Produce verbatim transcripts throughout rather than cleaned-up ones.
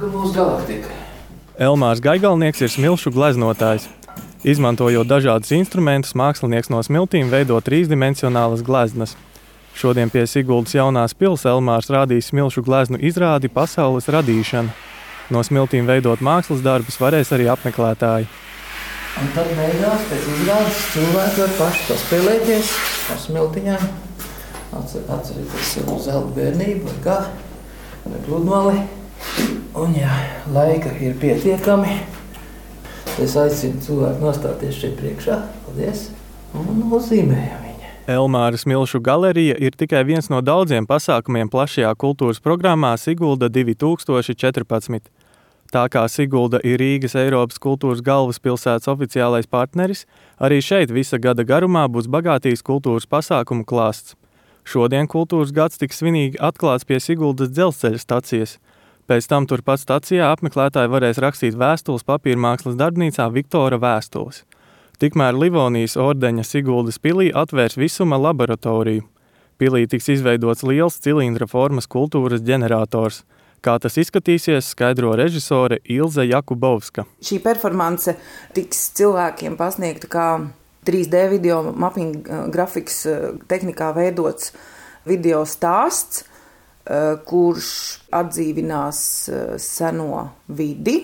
ka būs galaktika. Elmārs Gaigalnieks ir smilšu gleznotājs. Izmantojot dažādus instrumentus, mākslinieks no smiltīm veido trīsdimensionālas gleznas. Šodien pie Siguldas jaunās pils Elmārs rādīs smilšu gleznu izrādi Pasaules radīšana. No smiltīm veidot mākslas darbus varēs arī apmeklētāji. Un tad beigās pēc izrādes cilvēki var paši paspēlēties ar smiltiņām. Atcer, atcerieties savu zelta bērnību vai kā, vai pludmali. Un jā, laika ir pietiekami. Es aicinu cilvēku nostāties šeit priekšā. Paldies. Un uzzīmējam viņu. Elmāra smilšu galerija ir tikai viens no daudziem pasākumiem plašajā kultūras programmā Sigulda divi tūkstoši četrpadsmit. Tā kā Sigulda ir Rīgas Eiropas kultūras galvaspilsētas oficiālais partneris, arī šeit visa gada garumā būs bagātīgs kultūras pasākumu klāsts. Šodien kultūras gads tiks svinīgi atklāts pie Siguldas dzelzceļa stacijas. Pēc tam turpat stacijā apmeklētāji varēs rakstīt vēstules papīrmākslas darbnīcā Viktora vēstules. Tikmēr Livonijas ordeņa Siguldas pilī atvērs visuma laboratoriju. Pilī tiks izveidots liels cilindra formas kultūras ģenerators. Kā tas izskatīsies, skaidro režisore Ilze Jakubovska. Šī performance tiks cilvēkiem pasniegta kā trīs D video mapping grafikas tehnikā veidots video stāsts, kurš atdzīvinās seno vidi.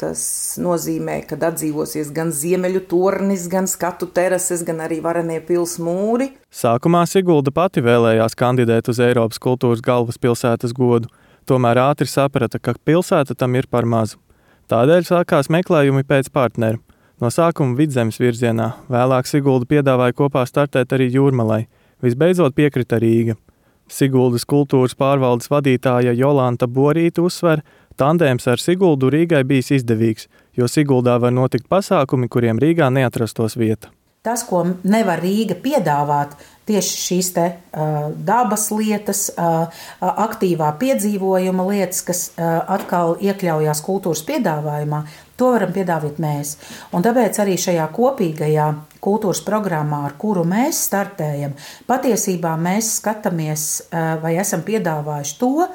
Tas nozīmē, ka atdzīvosies gan ziemeļu tornis, gan skatu terases, gan arī varenie pils mūri. Sākumā Sigulda pati vēlējās kandidēt uz Eiropas kultūras galvaspilsētas godu, tomēr ātri saprata, ka pilsēta tam ir par mazu. Tādēļ sākās meklējumi pēc partneru. No sākuma Vidzemes virzienā, vēlāk Sigulda piedāvāja kopā startēt arī Jūrmalai. Visbeidzot piekrita Rīga. Siguldas kultūras pārvaldes vadītāja Jolanta Borīte uzsver, tandēms ar Siguldu Rīgai bijis izdevīgs, jo Siguldā var notikt pasākumi, kuriem Rīgā neatrastos vieta. Tas, ko nevar Rīga piedāvāt, tieši šīs te uh, dabas lietas, uh, aktīvā piedzīvojuma lietas, kas uh, atkal iekļaujās kultūras piedāvājumā, to varam piedāvāt mēs. Un tāpēc arī šajā kopīgajā kultūras programmā, ar kuru mēs startējam, patiesībā mēs skatāmies uh, vai esam piedāvājuši to,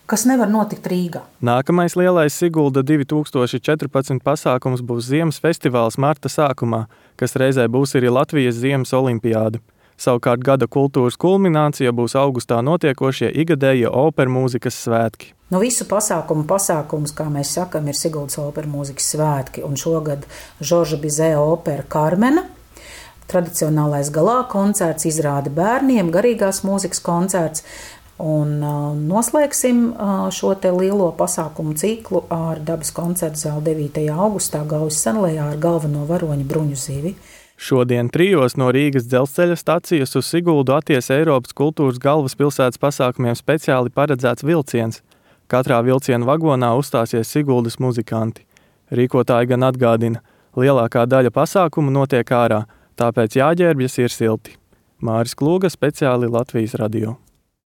kas nevar notikt Rīgā. Nākamais lielais Sigulda divi tūkstoši četrpadsmit pasākums būs Ziemas festivāls marta sākumā, kas reizē būs arī Latvijas Ziemas olimpiāde. Savukārt gada kultūras kulminācija būs augustā notiekošie igadējie opermūzikas svētki. No visu pasākumu pasākums, kā mēs sakam, ir Siguldas opermūzikas svētki, un šogad Žorža Bizē opera Karmena, tradicionālais galā koncerts, izrāde bērniem, garīgās mūzikas koncerts. Un uh, noslēgsim uh, šo te lielo pasākumu ciklu ar dabas koncertu zāli devītajā augustā Gaujas senlejā ar galveno varoņu Bruņu Zivi. Šodien trijos no Rīgas dzelzceļa stacijas uz Siguldu atties Eiropas kultūras galvaspilsētas pasākumiem speciāli paredzēts vilciens. Katrā vilciena vagonā uzstāsies Siguldas muzikanti. Rīkotāji gan atgādina, lielākā daļa pasākumu notiek ārā, tāpēc jāģērbjas ir silti. Māris Klūga, speciāli Latvijas radio.